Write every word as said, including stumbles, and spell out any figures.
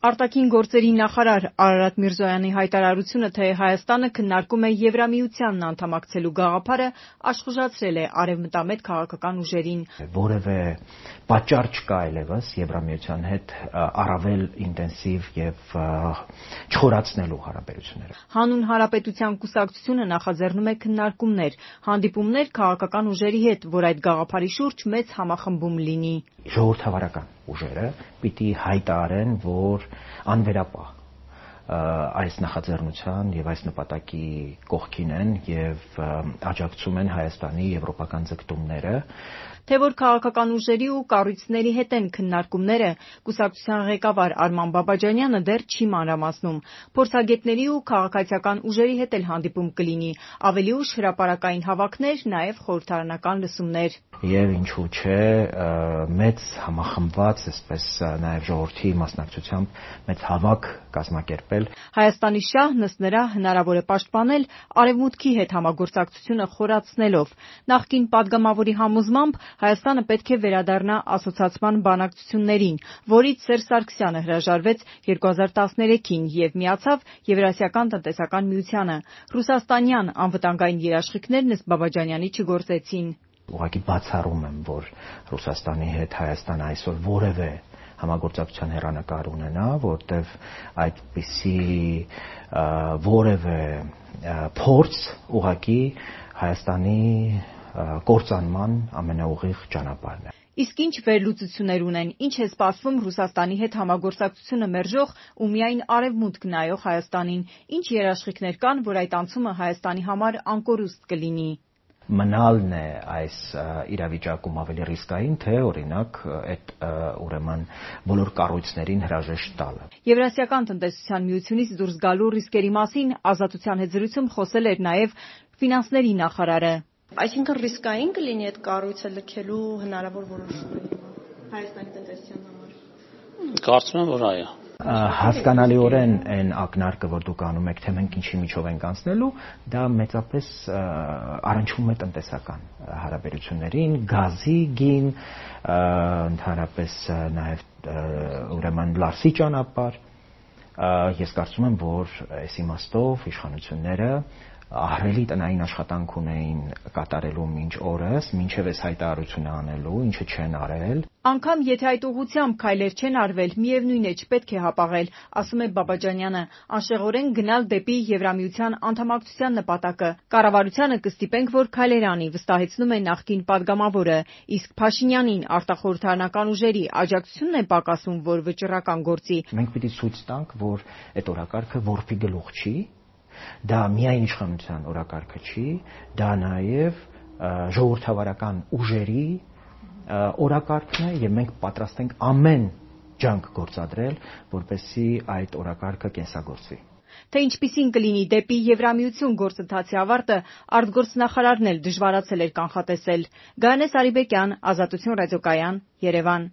Արտաքին գործերի նախարար Արարատ Միրզոյանի հայտարարությունը, թե Հայաստանը քննարկում է Եվրամիությանն անդամակցելու գաղափարը, աշխուժացրել է արևմտամետ քաղաքական ուժերին։ Որևէ պատճառ չկա այլևս Եվրամիության հետ առավել ինտենսիվ եւ չխորացնելու հարաբերությունները։ Հանուն Հանրապետության կուսակցությունը նախաձեռնում է քննարկումներ, հանդիպումներ քաղաքական ուժերի հետ, որ այդ գաղափարի շուրջ մեծ համախմբում լինի։ Ժողովրդավարական ուժերը պիտի հայտարարեն, որ անվերապահ այս նախաձեռնության եւ այս նպատակի կողքին են եւ աջակցում են Հայաստանի եվրոպական ձգտումները։ Թե որ քաղաքական ուժերի ու կառույցների հետ են քննարկումները, կուսակցության ղեկավար Արման Բաբաջանյանը դեռ չի մանրամասնում։ Փորձագետների ու քաղաքացիական ուժերի հետ էլ հանդիպում կլինի, ավելի ուշ հրապարակային հավաքներ, նաև խորհրդարանական լսումներ։ Եվ ինչու՞ չէ, մեծ համախմբված, այսպես նաև ժողովրդի մասնակցությամբ մեծ հավաք կազմակերպել։ Հայաստանի շահն ըստ նրա հնարավոր է պաշտպանել Արևմուտքի հետ համագործակցությունը խորացնելով։ Նախկին падգամավորի համոզմամբ Հայաստանը պետք է վերադառնա ասոցիացման բանակցություններին, որից Սերժ Սարգսյանը հրաժարվեց երկու հազար տասներեքին եւ միացավ Եվրասիական տնտեսական միությանը։ Ռուսաստանյան անվտանգային երաշխիքներն ըստ Բաբաջանյանի չգործեցին։ Ուղղակի բացառում եմ, որ Ռուսաստանի հետ Հայաստանը այսօր որևէ համագործակցության հեռանկար ունենա, որտեղ այդպիսի որևէ փորձ ուղղակի Հայաստանի կործանման ամենաուղիղ ճանապարհն է։ Իսկ ինչ վերլուծություններ ունեն, ինչ է սպասվում Ռուսաստանի հետ համագործակցությունը մերժող ու միայն արևմուտք նայող Հայաստանին, ինչ երաշխիքներ կան, որ այդ անցումը Հայաստանի համար անկորուստ կլինի։ Մնալն է այս իրավիճակում ավելի ռիսկային, թե օրինակ այդ ուրեմն բոլոր կառույցներին հրաժեշտ տալը։ Եվրասիական տնտեսության միությունից դուրս գալու ռիսկերի մասին Ազատության հետ զրույցում խոսել էր նաև ֆինանսների նախարարը։ Այսինքն ռիսկային կլինի այդ կառույցը լքելու հնարավոր որոշումը Հայաստանի տնտեսության համար։ Կարծում եմ, որ այո։ Հասկանալիորեն այն ակնարկը, որ դուք անում եք, թե մենք ինչի միջով ենք անցնելու, դա մեծապես առնչվում է տնտեսական հարաբերություններին, գազի գին, ընդհանրապես նաև ուրեմն Լարսի ճանապարհ։ Ես կարծում եմ, որ այս իմաստով իշխանությունները ահռելի տնային աշխատանք ունեին կատարելու մինչ օրս, մինչև այս հայտարարությունը անելու, ինչը չեն արել։ Անկամ եթե այդ ուղղությամբ քայլեր չեն արվել, միևնույն է չպետք է հապաղել, ասում է Բաբաջանյանը, անշեղորեն գնալ դեպի Եվրամիության անդամակցության նպատակը։ Կառավարությանը կստիպենք, որ քայլեր անի, վստահեցնում է նախկին падգամավորը, իսկ Փաշինյանին արտախորհրդարանական ուժերի աջակցությունն է պակասում, որ վճռական գործի։ Մենք պիտի ցույց տանք, որ այդ օրակարգը որբի գլուխ չի։ Դա միայն իշխանության օրակարգը չի, դա նաև ժողովրդավարական ուժերի օրակարգն է եւ մենք պատրաստ ենք ամեն ջանք գործադրել, որպեսզի այդ օրակարգը կենսագործվի։ Թե ինչպիսին կլինի դեպի Եվրամիություն գործընթացի ավարտը, արտգործնախարարն էլ դժվարացել էր կանխատեսել։ Գայանե Սարիբեկյան, Ազատություն ռադիոկայան, Երևան։